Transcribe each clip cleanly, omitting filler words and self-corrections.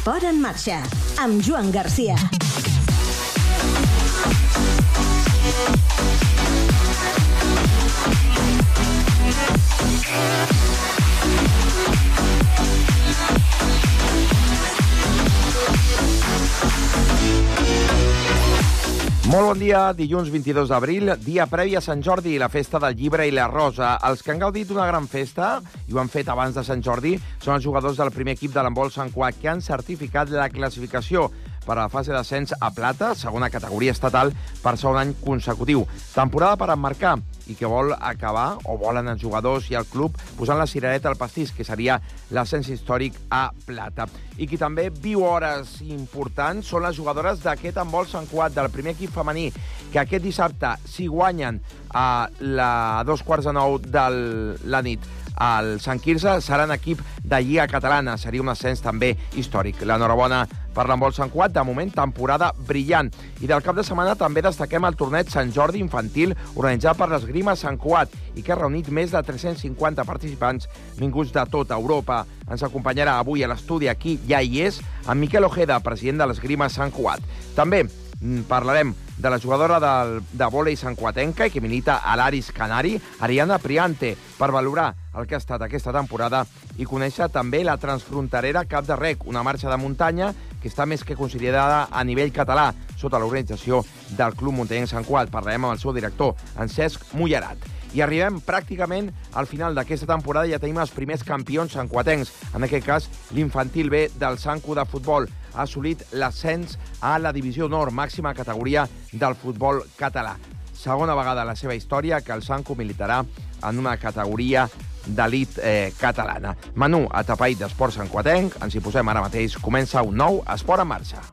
Esport en marxa, amb Joan Garcia. Molt bon dia, dilluns 22 d'abril, dia previ a Sant Jordi, la festa del llibre i la rosa. Els que han gaudit d'una gran festa, i ho han fet abans de Sant Jordi, són els jugadors del primer equip de l'handbol Sant Cugat, que han certificat la classificació per a la fase d'ascens a plata, segona categoria estatal, per segon any consecutiu. Temporada per emmarcar, i que vol acabar, o volen els jugadors i el club, posant la cirereta al pastís, que seria l'ascens històric a plata. I qui també viu hores importants són les jugadores d'aquest handbol Sant Cugat, del primer equip femení, que aquest dissabte, si guanyen a 2:45 de la nit al Sant Quirze, seran equip de Lliga Catalana. Seria un ascens també històric. L'enhorabona per l'handbol Sant Cugat, de moment, temporada brillant. I del cap de setmana també destaquem el torneig Sant Jordi infantil organitzat per l'Esgrima Sant Cugat i que ha reunit més de 350 participants vinguts de tota Europa. Ens acompanyarà avui a l'estudi, aquí ja hi és, en Miquel Ojeda, president de l'Esgrima Sant Cugat. També parlarem de la jugadora de vòlei santcuatenca i que milita a l'Aris Canari, Ariana Priante, per valorar el que ha estat aquesta temporada i conèixer també la transfronterera Cap de Rec, una marxa de muntanya que està més que considerada a nivell català, sota l'organització del Club Muntanyenc Sant Cugat. Parlarem amb el seu director, en Cesc Mullerat. I arribem pràcticament al final d'aquesta temporada i ja tenim els primers campions santcuatencs. En aquest cas, l'infantil B del Santcu de futbol ha assolit l'ascens a la divisió honor, màxima categoria del futbol català. Segona vegada a la seva història que el Santcu militarà en una categoria d'elit catalana. Menú atapeït d'esport santcuatenc, ens hi posem ara mateix. Comença un nou Esport en marxa.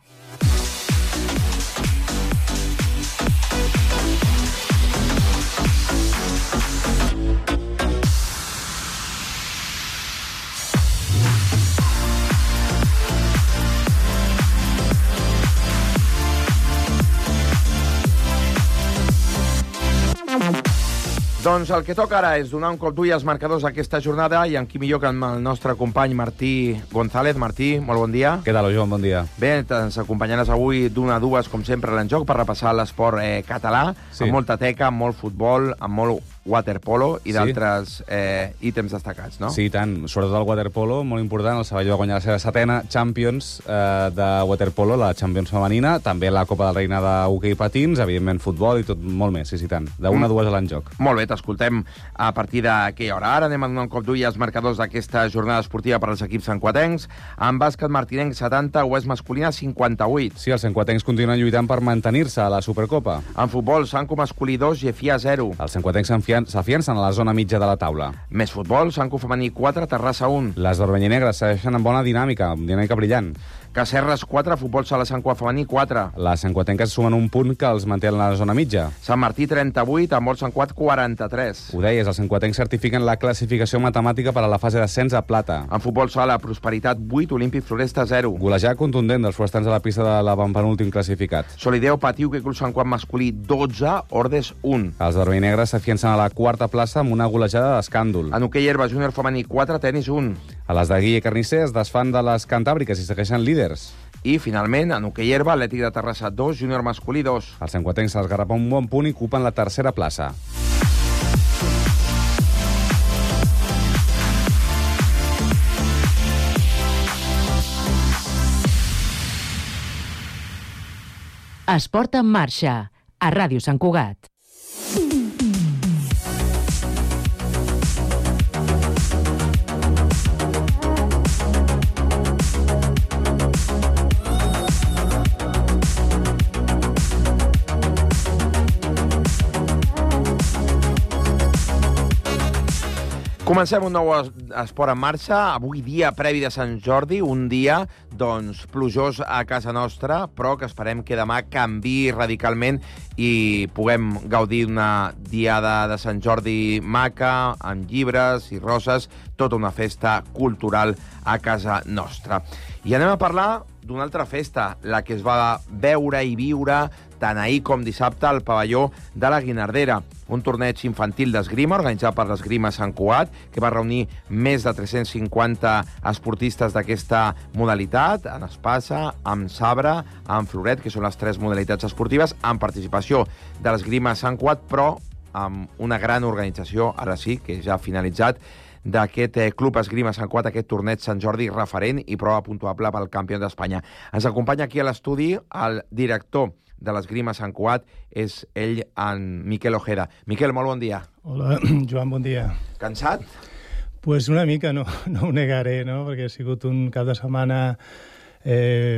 Doncs el que toca ara és donar un cop d'ull als marcadors d'aquesta jornada i en qui millor que amb el nostre company Martí González. Martí, molt bon dia. Què tal, Joan? Bon dia. Bé, ens acompanyaràs avui d'una a dues, com sempre, a l'enjoc per repassar l'esport català, sí, amb molta teca, amb molt futbol, amb molt waterpolo i d'altres ítems destacats, no? Sí, i tant. Sobretot el waterpolo, molt important. El Sabadell va guanyar la seva setena Champions de waterpolo, la Champions femenina, també la Copa del Reina d'hoquei patins, evidentment futbol i tot molt més, sí, tant. D'una a dues a l'enjoc. Molt bé, t'escoltem a partir d'aquella hora. Ara anem a donar un cop d'ull als marcadors d'aquesta jornada esportiva per als equips santcuatencs. En bàsquet, Martinenc 70, Oest masculina 58. Sí, els santcuatencs continuen lluitant per mantenir-se a la Supercopa. En futbol, Santcu masculí 2, Gefia 0. Els santcuatencs s'afiancen a la zona mitja de la taula. Més futbol, Santcu femení 4, Terrassa 1. Les d'Orbenyi-Negres segueixen amb bona dinàmica brillant. Cacerres 4, futbol sala Sant Cugat femení 4. Les santcuatenques sumen un punt que els manté en la zona mitja. Sant Martí 38, handbol Sant Cugat 43. Ho deies, els santcuatencs certifiquen la classificació matemàtica per a la fase d'ascens a plata. En futbol sala, Prosperitat 8, Olímpic Floresta 0. Golejada contundent dels forestans a la pista de l'avantpenúltim classificat. Solideo patiu que Club Sant Cugat masculí 12, Ordes 1. Els d'Orbenyi-Negres s'afiancen a la quarta plaça amb una golejada d'escàndol. En hoquei herba júnior femení 4, tenis 1. A les de Guille Carnisser es desfan de les cantàbriques i segueixen líders. I, finalment, en hoquei herba, Atlètic de Terrassa 2, júnior masculí 2. Els santcuatencs s'esgarrapen un bon punt i ocupen la tercera plaça. Esport en marxa, a Ràdio Sant Cugat. Comencem un nou esport en marxa. Avui dia previ de Sant Jordi, un dia doncs plujós a casa nostra, però que esperem que demà canviï radicalment i puguem gaudir d'una diada de Sant Jordi maca, amb llibres i roses, tota una festa cultural a casa nostra. I anem a parlar d'una altra festa, la que es va veure i viure tant ahir com dissabte al pavelló de la Guinardera, un torneig infantil d'esgrima organitzat per l'Esgrima Sant Cugat, que va reunir més de 350 esportistes d'aquesta modalitat, en espasa, amb sabre, amb floret, que són les 3 modalitats esportives, amb participació de l'esgrima Sant Cugat, però amb una gran organització, ara sí, que ja ha finalitzat, d'aquest Club Esgrima Sant Cugat, aquest torneig Sant Jordi referent i prova puntuable pel campió d'Espanya. Ens acompanya aquí a l'estudi el director de l'esgrima Sant Cugat, és ell, en Miquel Ojeda. Miquel, molt bon dia. Hola, Joan, bon dia. Cansat? Pues una mica, no ho negaré, no? Perquè ha sigut un cap de setmana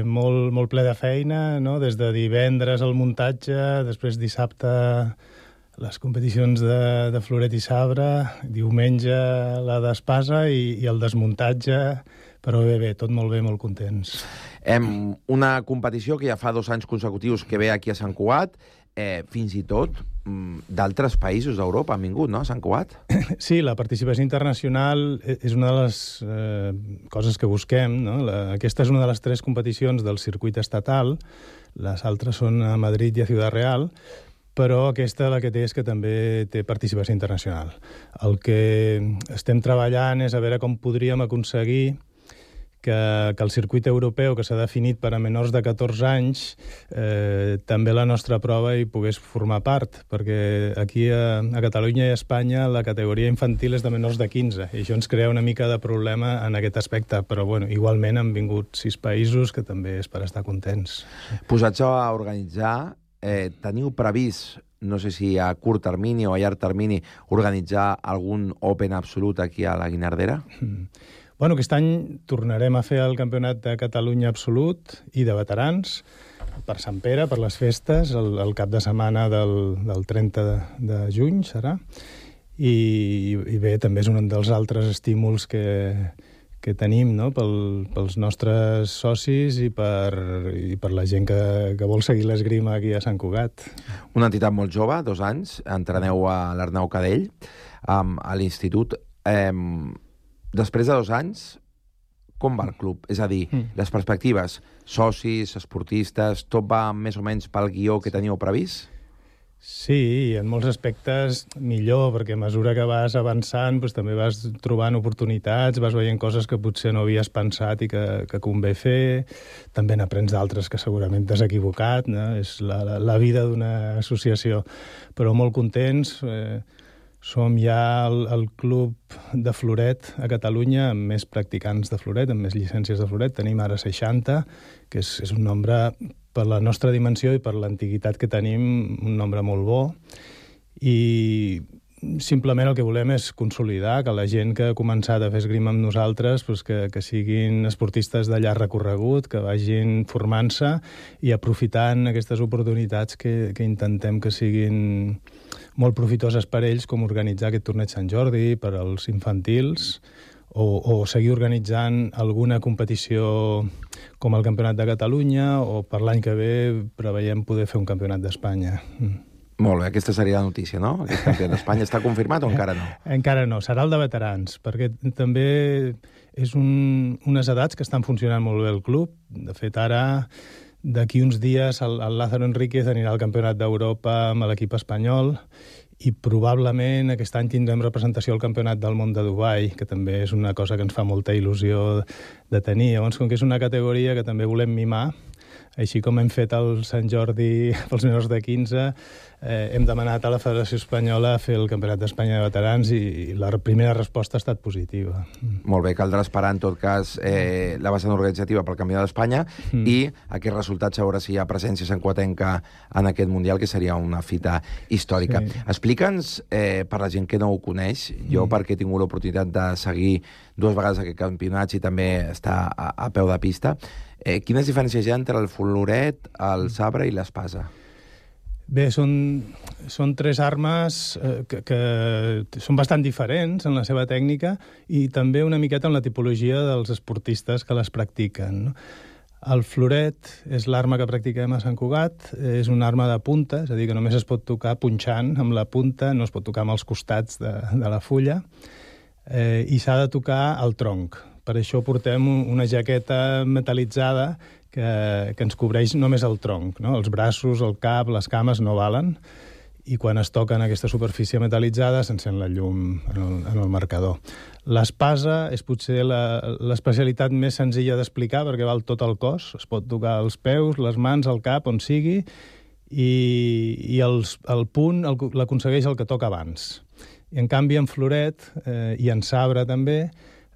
molt ple de feina, no? Des de divendres al muntatge, després dissabte les competicions de floret i sabre, diumenge la d'espasa i el desmuntatge, però bé, tot molt bé, molt contents. Una competició que ja fa 2 anys consecutius que ve aquí a Sant Cugat, fins i tot d'altres països d'Europa han vingut, no?, a Sant Cugat? Sí, la participació internacional és una de les coses que busquem, no? Aquesta és una de les 3 competicions del circuit estatal, les altres són a Madrid i a Ciudad Real, però aquesta la que té és que també té participació internacional. El que estem treballant és a veure com podríem aconseguir que el circuit europeu, que s'ha definit per a menors de 14 anys, també la nostra prova hi pogués formar part, perquè aquí a Catalunya i a Espanya la categoria infantil és de menors de 15, i això ens crea una mica de problema en aquest aspecte, però bueno, igualment han vingut 6 països que també és per estar contents. Posats a organitzar, teniu previst, no sé si a curt termini o a llarg termini, organitzar algun Open absolut aquí a la Guinardera? Bueno, aquest any tornarem a fer el Campionat de Catalunya absolut i de veterans per Sant Pere, per les festes, el cap de setmana del 30 de juny serà. I bé, també és un dels altres estímuls que tenim, no?, pels nostres socis i per la gent que vol seguir l'esgrima aquí a Sant Cugat. Una entitat molt jove, 2 anys, entreneu a l'Arnau Cadell, a l'institut. Després de 2 anys, com va el club? És a dir, les perspectives, socis, esportistes, tot va més o menys pel guió que teníeu previst? Sí, en molts aspectes millor, perquè a mesura que vas avançant doncs, també vas trobant oportunitats, vas veient coses que potser no havies pensat i que convé fer, també n'aprens d'altres que segurament t'has equivocat, no? És la vida d'una associació, però molt contents. Som ja el club de floret a Catalunya amb més practicants de floret, amb més llicències de floret. Tenim ara 60, que és un nombre, per la nostra dimensió i per l'antiguitat que tenim, un nombre molt bo. I simplement el que volem és consolidar que la gent que ha començat a fer esgrima amb nosaltres doncs que siguin esportistes de llarg recorregut, que vagin formant-se i aprofitant aquestes oportunitats que intentem que siguin molt profitoses per ells, com organitzar aquest torneig Sant Jordi per als infantils o seguir organitzant alguna competició com el Campionat de Catalunya, o per l'any que ve preveiem poder fer un Campionat d'Espanya. Molt bé, aquesta seria la notícia, no? Aquest Campionat d'Espanya està confirmat o encara no? Encara no, serà el de veterans, perquè també és unes edats que estan funcionant molt bé el club. De fet, ara, d'aquí uns dies, el Lázaro Enríquez anirà al Campionat d'Europa amb l'equip espanyol, i probablement aquest any tindrem representació al Campionat del Món de Dubai, que també és una cosa que ens fa molta il·lusió de tenir. Llavors, com que és una categoria que també volem mimar, així com hem fet el Sant Jordi pels menors de 15, hem demanat a la Federació Espanyola fer el Campionat d'Espanya de Veterans i la primera resposta ha estat positiva. Molt bé, caldrà esperar en tot cas la vessant organitzativa pel Campionat d'Espanya i aquest resultat, a veure si hi ha presència santcuatenca en aquest Mundial, que seria una fita històrica. Sí. Explica'ns, per la gent que no ho coneix, jo perquè he tingut l'oportunitat de seguir 2 vegades aquest campionat i també estar a peu de pista, quines diferències hi ha entre el floret, el sabre i l'espasa? Bé, són 3 armes que són bastant diferents en la seva tècnica i també una miqueta en la tipologia dels esportistes que les practiquen, no? El floret és l'arma que practiquem a Sant Cugat, és una arma de punta, és a dir, que només es pot tocar punxant amb la punta, no es pot tocar amb els costats de la fulla, i s'ha de tocar al tronc. Per això portem una jaqueta metal·litzada que ens cobreix només el tronc, no? Els braços, el cap, les cames no valen, i quan es toca en aquesta superfície metal·litzada s'encén la llum en el marcador. L'espasa és potser l'especialitat més senzilla d'explicar perquè val tot el cos, es pot tocar els peus, les mans, el cap, on sigui, i el punt l'aconsegueix el que toca abans. I en canvi en floret i en sabre també,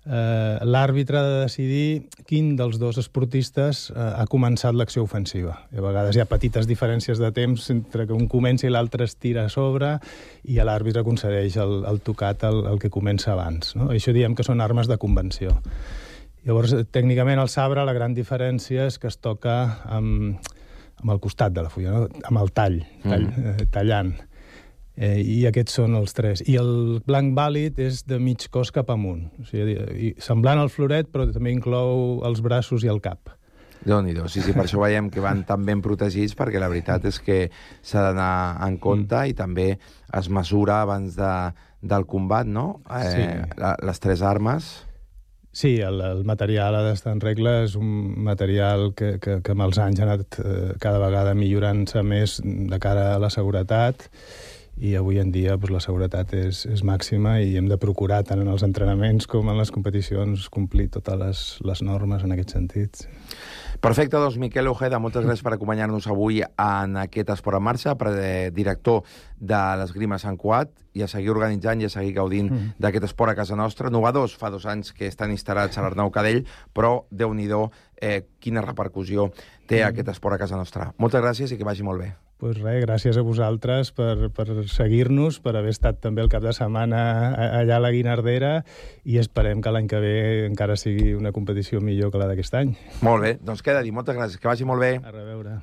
l'àrbitre ha de decidir quin dels dos esportistes ha començat l'acció ofensiva. I a vegades hi ha petites diferències de temps entre que un comença i l'altre es tira a sobre i l'àrbitre concedeix el tocat al que comença abans. No? Això diem que són armes de convenció. Llavors, tècnicament, el sabre, la gran diferència és que es toca amb el costat de la fulla, no? Amb el tallant. I aquests són els tres. I el blanc vàlid és de mig cos cap amunt. O sigui, semblant al floret, però també inclou els braços i el cap. Déu-n'hi-do. Sí, per això veiem que van tan ben protegits, perquè la veritat és que s'ha d'anar en compte i també es mesura abans del combat, no? Sí. Les tres armes. Sí, el material ha d'estar en regla. És un material que amb els anys ha anat cada vegada millorant-se més de cara a la seguretat, i avui en dia la seguretat és màxima i hem de procurar tant en els entrenaments com en les competicions complir totes les normes en aquest sentit. Perfecte, doncs Miquel Ojeda, moltes gràcies per acompanyar-nos avui en aquest Esport en Marxa, director de l'Esgrima Sant Cugat, i a seguir organitzant i a seguir gaudint d'aquest esport a casa nostra. Novedors, fa 2 anys que estan instal·lats a l'Arnau Cadell, però Déu-n'hi-do quina repercussió té aquest esport a casa nostra. Moltes gràcies i que vagi molt bé. Doncs res, gràcies a vosaltres per seguir-nos, per haver estat també el cap de setmana allà a la Guinardera, i esperem que l'any que ve encara sigui una competició millor que la d'aquest any. Molt bé, doncs queda dir, moltes gràcies, que vagi molt bé. A reveure.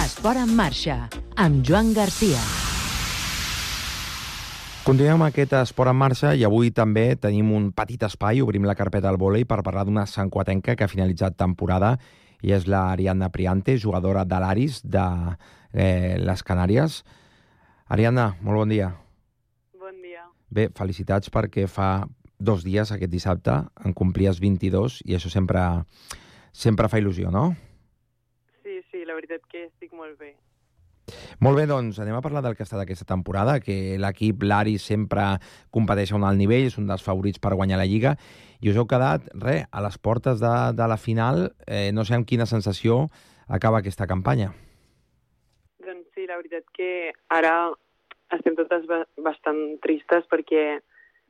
Esport en Marxa, amb Joan Garcia. Continuem aquest Esport en Marxa i avui també tenim un petit espai, obrim la carpeta del vòlei per parlar d'una santcuatenca que ha finalitzat temporada, i és l'Ariadna Priante, jugadora de l'Aris de les Canàries. Ariadna, molt bon dia. Bon dia. Bé, felicitats perquè fa 2 dies, aquest dissabte, en complies 22 i això sempre fa il·lusió, no? Sí, la veritat que estic molt bé. Molt bé, doncs anem a parlar del que ha estat aquesta temporada, que l'equip l'Aris sempre competeix a un alt nivell, és un dels favorits per guanyar la Lliga, i us heu quedat, a les portes de la final. No sé amb quina sensació acaba aquesta campanya. Doncs sí, la veritat que ara estem totes bastant tristes perquè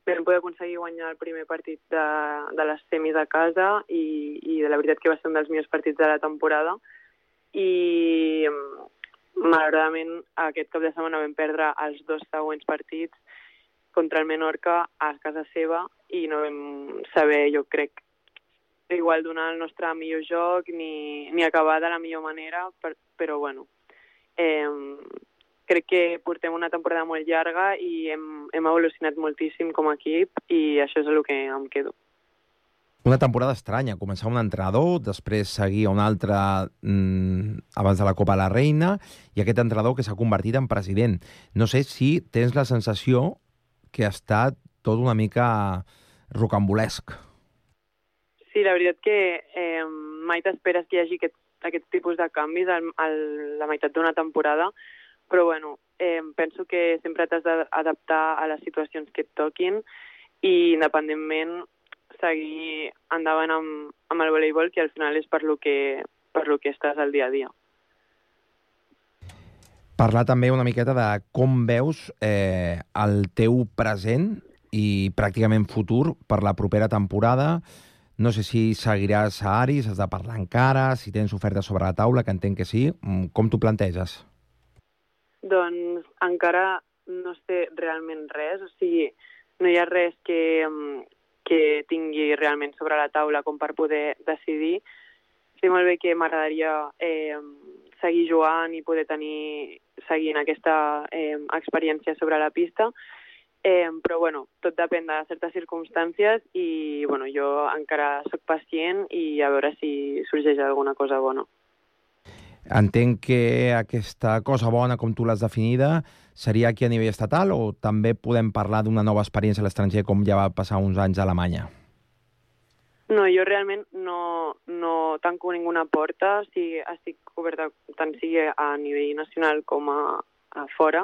vam poder aconseguir guanyar el primer partit de les semis a casa i la veritat que va ser un dels millors partits de la temporada, i malauradament aquest cap de setmana vam perdre els 2 següents partits contra el Menorca a casa seva i no vam saber, jo crec, igual donar el nostre millor joc ni acabar de la millor manera, però bueno, crec que portem una temporada molt llarga i hem evolucionat moltíssim com a equip i això és el que em quedo. Una temporada estranya, començar un entrenador, després seguir un altre abans de la Copa de la Reina, i aquest entrenador que s'ha convertit en president. No sé si tens la sensació que ha estat tot una mica rocambolesc. Sí, la veritat que mai t'esperes que hi hagi aquest tipus de canvis a la meitat d'una temporada, però bueno, penso que sempre t'has d'adaptar a les situacions que et toquin i independentment seguir endavant amb el voleibol, que al final és per lo que estàs al dia a dia. Parlar també una miqueta de com veus el teu present i pràcticament futur per la propera temporada. No sé si seguiràs a Aris, has de parlar encara, si tens ofertes sobre la taula, que entenc que sí. Com t'ho planteges? Doncs encara no sé realment res, o sigui, no hi ha res que tingui realment sobre la taula com per poder decidir. Sé molt bé que m'agradaria seguir jugant i poder seguint aquesta experiència sobre la pista, però bueno, tot depèn de certes circumstàncies i bueno, jo encara sóc pacient i a veure si sorgeix alguna cosa bona. Entenc que aquesta cosa bona, com tu l'has definida, seria aquí a nivell estatal o també podem parlar d'una nova experiència a l'estranger com ja va passar uns anys a Alemanya? No, jo realment no tanco ninguna porta, estic coberta tant sigui a nivell nacional com a fora,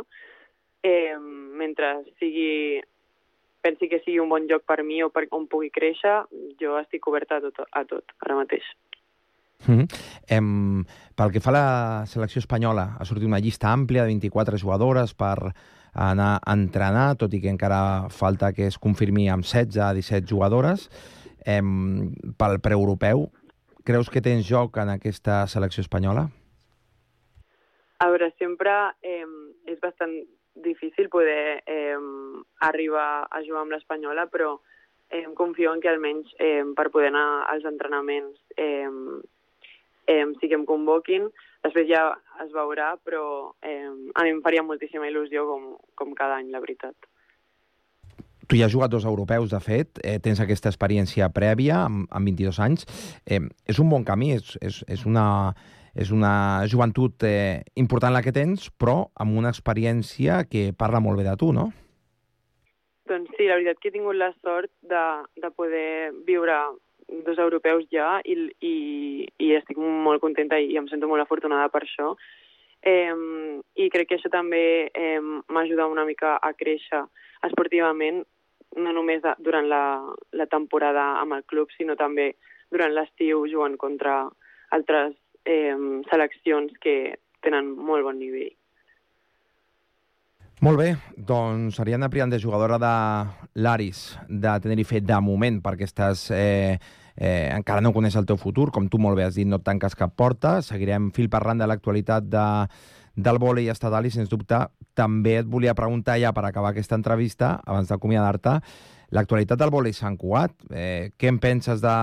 mentre pensi que sigui un bon lloc per mi o per on pugui créixer, jo estic coberta a tot ara mateix. Pel que fa a la selecció espanyola, ha sortit una llista àmplia de 24 jugadores per anar a entrenar, tot i que encara falta que es confirmi amb 16 a 17 jugadores. Pel preeuropeu, creus que tens joc en aquesta selecció espanyola? A veure, sempre és bastant difícil poder arribar a jugar amb l'espanyola, però confio en que almenys per poder anar als entrenaments sí que em convoquin. Després ja es veurà, però a mi em faria moltíssima il·lusió com cada any, la veritat. Tu ja has jugat 2 europeus, de fet, tens aquesta experiència prèvia amb 22 anys. És un bon camí, és una joventut important la que tens, però amb una experiència que parla molt bé de tu, no? Doncs sí, la veritat que he tingut la sort de poder viure 2 europeus ja i estic molt contenta i em sento molt afortunada per això. I crec que això també m'ajuda una mica a créixer esportivament, no només durant la temporada amb el club, sinó també durant l'estiu jugant contra altres seleccions que tenen molt bon nivell. Molt bé, doncs Ariadna Priante, jugadora de l'Aris de Tenerife de moment, perquè encara no coneix el teu futur, com tu molt bé has dit, no et tanques cap porta, seguirem fil parlant de l'actualitat del vòlei estatal i, sens dubte, també et volia preguntar ja per acabar aquesta entrevista, abans d'acomiadar-te, l'actualitat del vòlei Sant Cugat. Què en penses de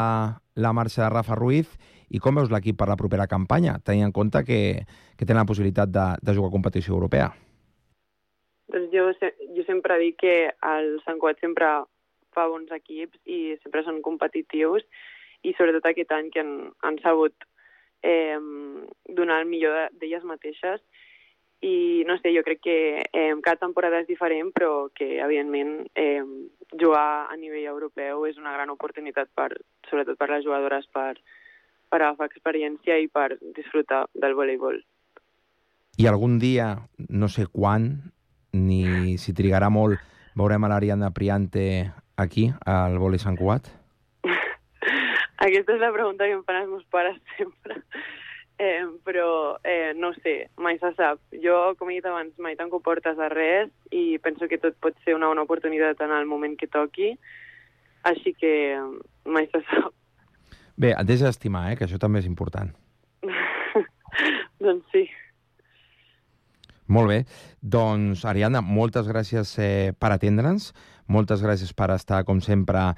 la marxa de Rafa Ruiz i com veus l'equip per la propera campanya, tenint en compte que tenen la possibilitat de jugar a competició europea? Doncs jo sempre dic que el Sant Cugat sempre fa bons equips i sempre són competitius i sobretot aquest any que han sabut donar el millor d'elles mateixes i no sé, jo crec que cada temporada és diferent però que evidentment jugar a nivell europeu és una gran oportunitat sobretot per les jugadores per agafar experiència i per disfrutar del voleibol. I algun dia, no sé quan, ni si trigarà molt, veurem a l'Ariadna Priante aquí, al vòlei Sant Cugat? Aquesta és la pregunta que em fan els meus pares sempre. Però no sé, mai se sap. Jo, com he dit abans, mai tanco portes a res i penso que tot pot ser una bona oportunitat en el moment que toqui, així que mai se sap. Bé, et deixes estimar, que això també és important. Doncs sí. Molt bé. Doncs, Ariadna, moltes gràcies per atendre'ns, moltes gràcies per estar, com sempre,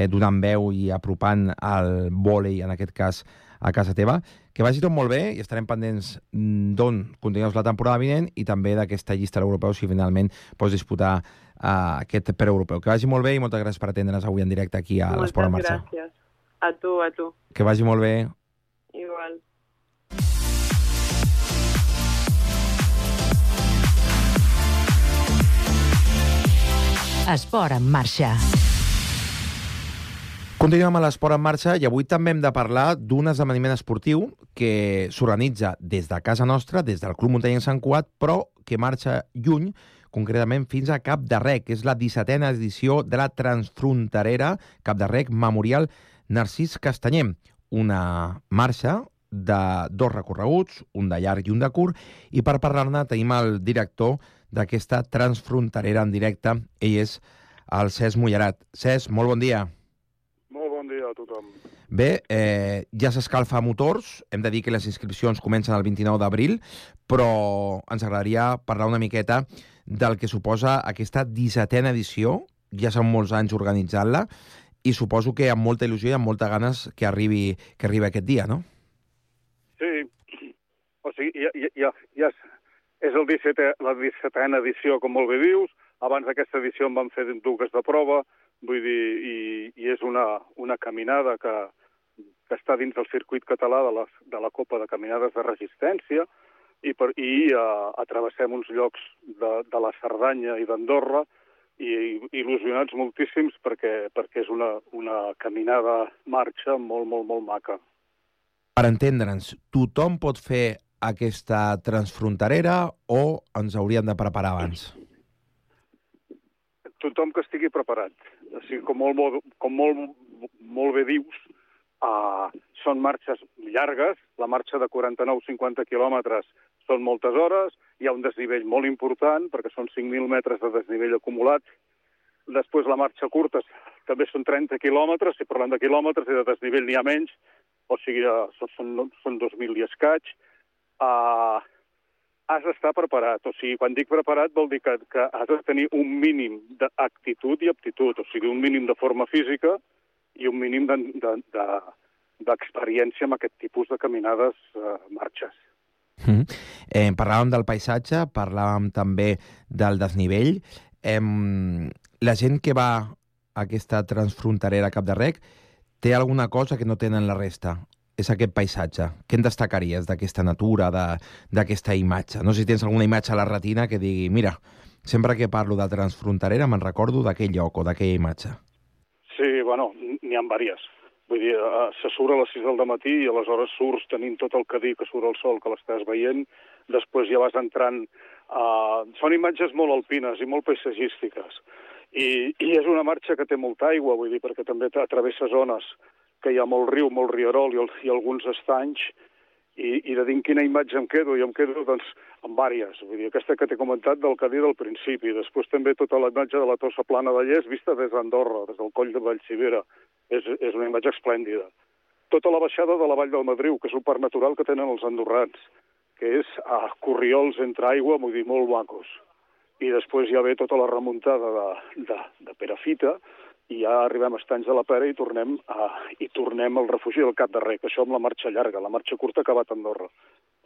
donant veu i apropant el vòlei, en aquest cas, a casa teva. Que vagi tot molt bé i estarem pendents d'on continues la temporada vinent i també d'aquesta llista de l'europeu, si finalment pots disputar aquest preeuropeu. Que vagi molt bé i moltes gràcies per atendre'ns avui en directe aquí a l'Esport en Marxa. Moltes gràcies. A tu. Que vagi molt bé. Igual. Esport en Marxa. Continuem a l'Esport en Marxa i avui també hem de parlar d'un esdeveniment esportiu que s'organitza des de casa nostra, des del Club Muntanyenc Sant Cugat, però que marxa lluny, concretament fins a Cap de Rec, que és la 17a edició de la Transfronterera Cap de Rec Memorial Narcís Castanyer. Una marxa de 2 recorreguts, un de llarg i un de curt, i per parlar-ne tenim el director d'aquesta Transfronterera en directe. Ell és el Cesc Mullerat. Cesc, molt bon dia. Molt bon dia a tothom. Bé, ja s'escalfa motors, hem de dir que les inscripcions comencen el 29 d'abril, però ens agradaria parlar una miqueta del que suposa aquesta 17a edició, ja són molts anys organitzant-la, i suposo que amb molta il·lusió i amb molta ganes que arribi aquest dia, no? Sí, o sigui, ja és la 17a edició, com molt bé dius. Abans d'aquesta edició en vam fer 2 de prova, vull dir, i és una caminada que està dins del circuit català de la Copa de Caminades de Resistència i travessem uns llocs de la Cerdanya i d'Andorra i il·lusionats moltíssims perquè és una caminada marxa molt, molt, molt maca. Per entendre'ns, tothom pot fer aquesta transfronterera o ens hauríem de preparar abans? Tothom que estigui preparat. O sigui, com molt bé dius, són marxes llargues, la marxa de 49-50 quilòmetres són moltes hores, hi ha un desnivell molt important, perquè són 5.000 metres de desnivell acumulat. Després la marxa curta també són 30 quilòmetres, si parlem de quilòmetres i de desnivell n'hi ha menys, o sigui, són 2.000 i escaig. Has d'estar preparat. O sigui, quan dic preparat vol dir que has de tenir un mínim d'actitud i aptitud, o sigui, un mínim de forma física i un mínim d'experiència amb aquest tipus de caminades marxes. Parlàvem del paisatge, parlàvem també del desnivell. La gent que va a aquesta transfronterera a Cap de Rec té alguna cosa que no tenen la resta. És aquest paisatge. Què en destacaries d'aquesta natura, d'aquesta imatge? No sé si tens alguna imatge a la retina que digui, mira, sempre que parlo de transfronterera me'n recordo d'aquell lloc o d'aquella imatge. Sí, bueno, n'hi ha diverses. Vull dir, se surt a les 6 del matí i aleshores surts tenint tot el cadí que surt el sol, que l'estàs veient, després ja vas entrant... Són imatges molt alpines i molt paisatgístiques. I és una marxa que té molta aigua, vull dir, perquè també travessa zones que hi ha molt riu, molt rierol i alguns estanys, i de dir quina imatge em quedo, i em quedo doncs amb vàries. Vull dir, aquesta que t'he comentat del cadí del principi, després també tota la imatge de la Tossa Plana de Lles vista des d'Andorra, des del coll de Vallcivera. És una imatge esplèndida. Tota la baixada de la Vall del Madriu, que és un parc natural que tenen els andorrans, que és a corriols entre aigua, vull dir, molt macos. I després ja ve tota la remuntada de Perafita, i ja arribem a Estanys de la Pera i tornem al refugi del Cap de Rec. Això amb la marxa llarga. La marxa curta ha acabat a Andorra,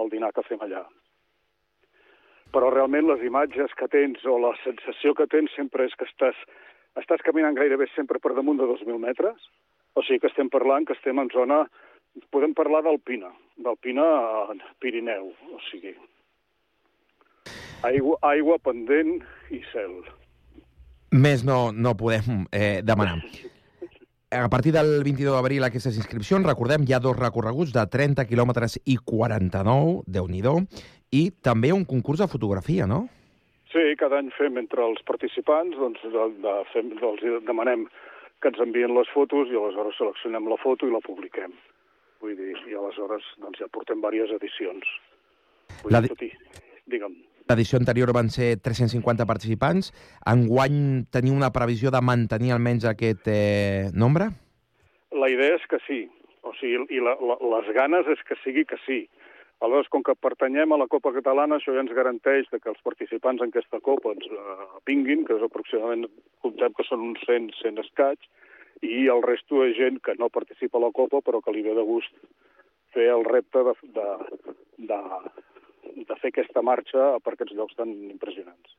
el dinar que fem allà. Però realment les imatges que tens o la sensació que tens sempre és que estàs caminant gairebé sempre per damunt de 2.000 metres. O sigui que estem parlant que estem en zona... Podem parlar d'alpina a Pirineu. O sigui, aigua pendent i cel. Més no podem demanar. A partir del 22 d'abril, aquestes inscripcions, recordem, hi ha 2 recorreguts de 30 quilòmetres i 49, Déu-n'hi-do, i també un concurs de fotografia, no? Sí, cada any fem entre els participants, doncs demanem que ens envien les fotos i aleshores seleccionem la foto i la publiquem. Vull dir, i aleshores doncs, ja portem diverses edicions. Digue'm. L'edició anterior van ser 350 participants. Enguany teniu una previsió de mantenir almenys aquest nombre? La idea és que sí. O sigui, i les ganes és que sigui que sí. Aleshores, com que pertanyem a la Copa Catalana, això ja ens garanteix que els participants en aquesta Copa ens vinguin, que és aproximadament, comptem que són uns 100 escaig, i el resto de gent que no participa a la Copa, però que li ve de gust fer el repte de fer aquesta marxa per aquests llocs tan impressionants.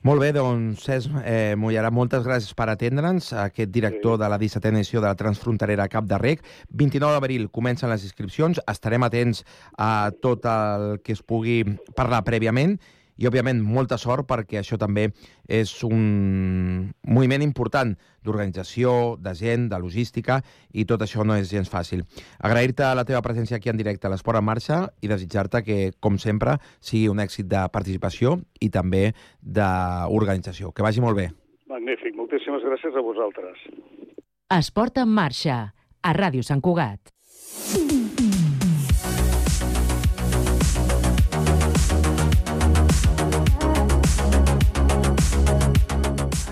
Molt bé, doncs, Cesc Mullerà, moltes gràcies per atendre'ns, aquest director de la 17a edició de la Transfronterera Cap de Rec. 29 d'abril comencen les inscripcions, estarem atents a tot el que es pugui parlar prèviament i, òbviament, molta sort perquè això també és un moviment important d'organització, de gent, de logística, i tot això no és gens fàcil. Agrair-te la teva presència aquí en directe a l'Esport en Marxa i desitjar-te que, com sempre, sigui un èxit de participació i també d'organització. Que vagi molt bé. Magnífic. Moltíssimes gràcies a vosaltres. Esport en Marxa, a Ràdio Sant Cugat.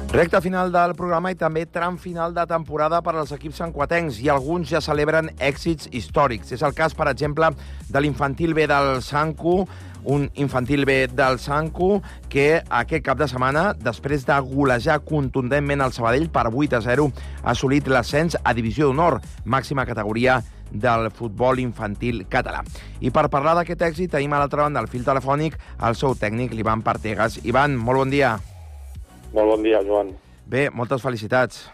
Recta final del programa i també tram final de temporada per als equips santcuatencs, i alguns ja celebren èxits històrics. És el cas, per exemple, de l'infantil B del Santcu, un infantil B del Santcu que aquest cap de setmana, després de golejar contundentment el Sabadell per 8-0, ha assolit l'ascens a Divisió d'Honor, màxima categoria del futbol infantil català. I per parlar d'aquest èxit tenim a l'altra banda del fil telefònic el seu tècnic, l'Ivan Partegas. Ivan, molt bon dia. Molt bon dia, Joan. Bé, moltes felicitats.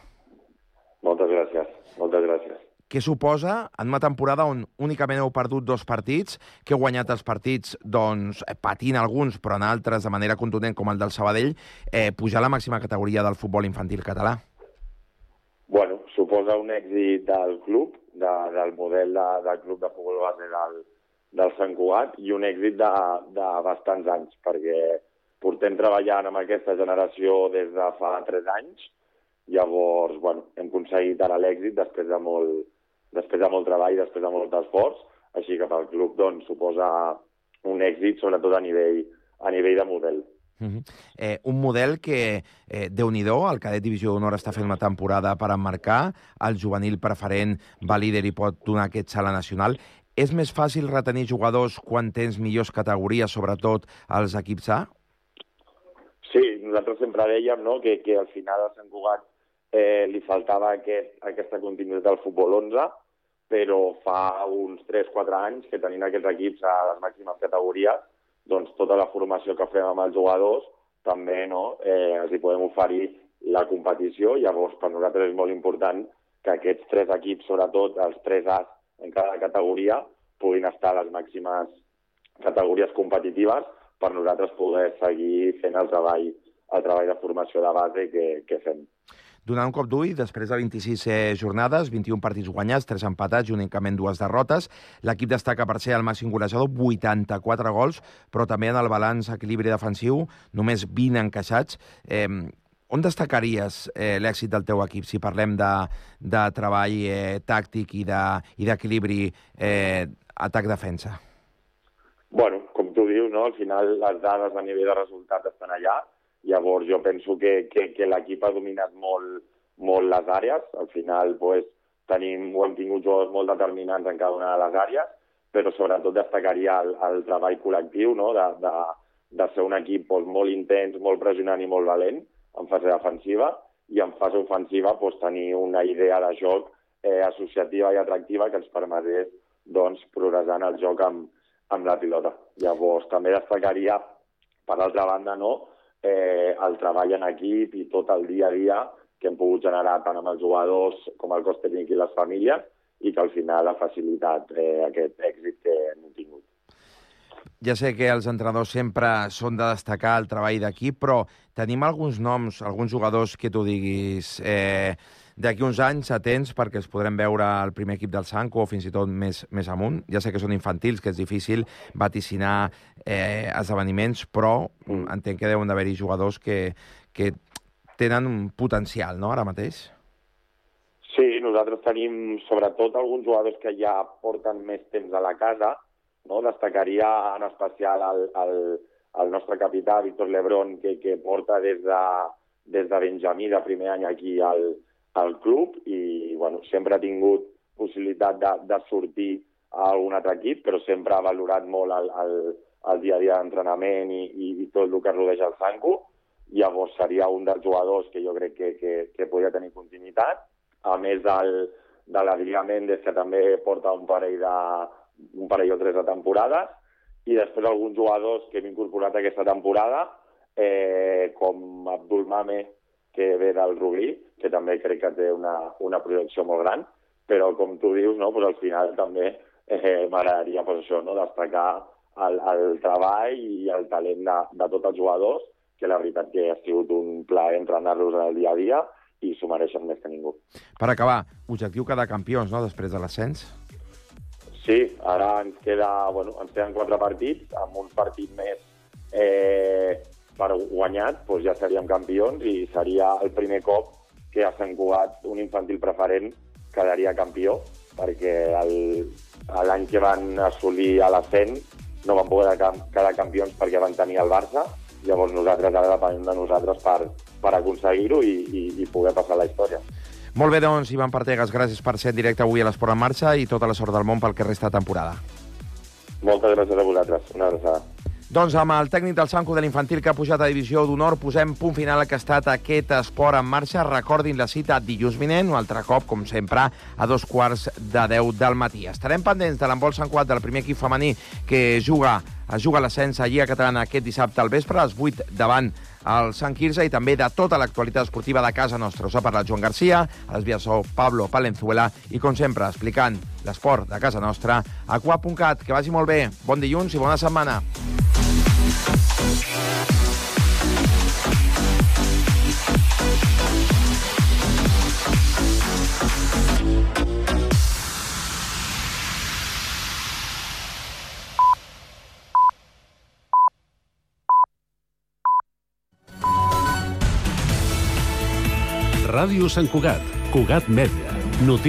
Moltes gràcies, moltes gràcies. Què suposa en una temporada on únicament heu perdut 2 partits, que heu guanyat els partits doncs, patint alguns, però en altres de manera contundent, com el del Sabadell, pujar a la màxima categoria del futbol infantil català? Bueno, suposa un èxit del club, del model del club de futbol base del Sant Cugat, i un èxit de bastants anys, perquè portem treballant amb aquesta generació des de fa 3 anys. Llavors, bueno, hem aconseguit ara l'èxit després de molt treball, després de molt esforç, així que pel club doncs, suposa un èxit, sobretot a nivell de model. Un model que, Déu-n'hi-do, el cadet Divisió d'Honor està fent una temporada per emmarcar, el juvenil preferent va líder i pot donar aquest salt a nacional. És més fàcil retenir jugadors quan tens millors categories, sobretot als equips A? Sí, nosaltres sempre dèiem, no, que al final a Sant Cugat li faltava aquesta continuïtat del futbol 11, però fa uns 3-4 anys que tenint aquests equips a les màximes categories, doncs tota la formació que fem amb els jugadors també els hi podem oferir la competició. Llavors, per nosaltres és molt important que aquests 3 equips, sobretot els 3 As en cada categoria, puguin estar a les màximes categories competitives per nosaltres poder seguir fent el treball de formació de base que fem. Donant un cop d'ull, després de 26 jornades, 21 partits guanyats, 3 empatats i únicament 2 derrotes, l'equip destaca per ser el màxim golejador, 84 gols, però també en el balanç equilibri defensiu, només 20 encaixats. On destacaries l'èxit del teu equip, si parlem de treball tàctic i d'equilibri atac-defensa? Bueno, com tu dius, no? Al final les dades a nivell de resultat estan allà. Llavors jo penso que l'equip ha dominat molt les àrees. Al final hem tingut jugadors molt determinants en cada una de les àrees, però sobretot destacaria el treball col·lectiu, no? de ser un equip molt intens, molt pressionant i molt valent en fase defensiva, i en fase ofensiva tenir una idea de joc associativa i atractiva que ens permetés progressar en el joc amb la pilota. Llavors també destacaria, per altra banda, el treball en equip i tot el dia a dia que hem pogut generar tant amb els jugadors com el cos tècnic i les famílies, i que al final ha facilitat aquest èxit que hem tingut. Ja sé que els entrenadors sempre són de destacar el treball d'equip, però tenim alguns noms, alguns jugadors que tu diguis d'aquí uns anys atents perquè els podrem veure al primer equip del Sanco o fins i tot més amunt. Ja sé que són infantils, que és difícil vaticinar esdeveniments, però entenc que deuen d'haver-hi jugadors que tenen un potencial, no?, ara mateix. Sí, nosaltres tenim sobretot alguns jugadors que ja porten més temps a la casa, no? Destacaria en especial el nostre capità, Víctor Lebrón, que porta des de Benjamí, de primer any aquí al club, i sempre ha tingut possibilitat de sortir a algun altre equip, però sempre ha valorat molt el dia a dia d'entrenament i tot el que rodeja el Sanco. Llavors seria un dels jugadors que jo crec que podria tenir continuïtat, a més de l'Adrià Méndez, que també porta un parell o 3 de temporades, i després alguns jugadors que hem incorporat aquesta temporada, com Abdul Mame, que ve del Rubí, que també crec que té una projecció molt gran, però com tu dius, al final també m'agradaria destacar el treball i el talent de tots els jugadors, que la veritat que ha sigut un plaer entrenar-los en el dia a dia i s'ho mereixen més que ningú. Per acabar, objectiu quedar campions, no?, després de l'ascens? Sí, ara ens queden 4 partits, amb un partit més per guanyat, ja seríem campions i seria el primer cop que a Sant Cugat un infantil preferent quedaria campió, perquè l'any que van assolir a l'ascens no van poder quedar campions perquè van tenir el Barça. Llavors nosaltres ara depenem de nosaltres per aconseguir-ho i poder passar la història. Molt bé, doncs, Ivan Partegas, gràcies per ser en directe avui a l'Esport en Marxa i tota la sort del món pel que resta de temporada. Moltes gràcies a vosaltres. Una abraçada. Doncs amb el tècnic del Sanco de l'infantil que ha pujat a Divisió d'Honor posem punt final al que ha estat aquest Esport en Marxa. Recordin la cita dilluns vinent, un altre cop, com sempre, a 2:15 del matí. Estarem pendents de l'handbol Sant Cugat del primer equip femení que es juga l'ascens a Lliga Catalana aquest dissabte al vespre, a les 8 davant al Sant Quirze i també de tota l'actualitat esportiva de casa nostra. Us ha parlat Joan Garcia, a les vies Pablo Palenzuela i, com sempre, explicant l'esport de casa nostra a QA.cat. Que vagi molt bé. Bon dilluns i bona setmana. Ràdio Sant Cugat, Cugat Mèdia, notícies.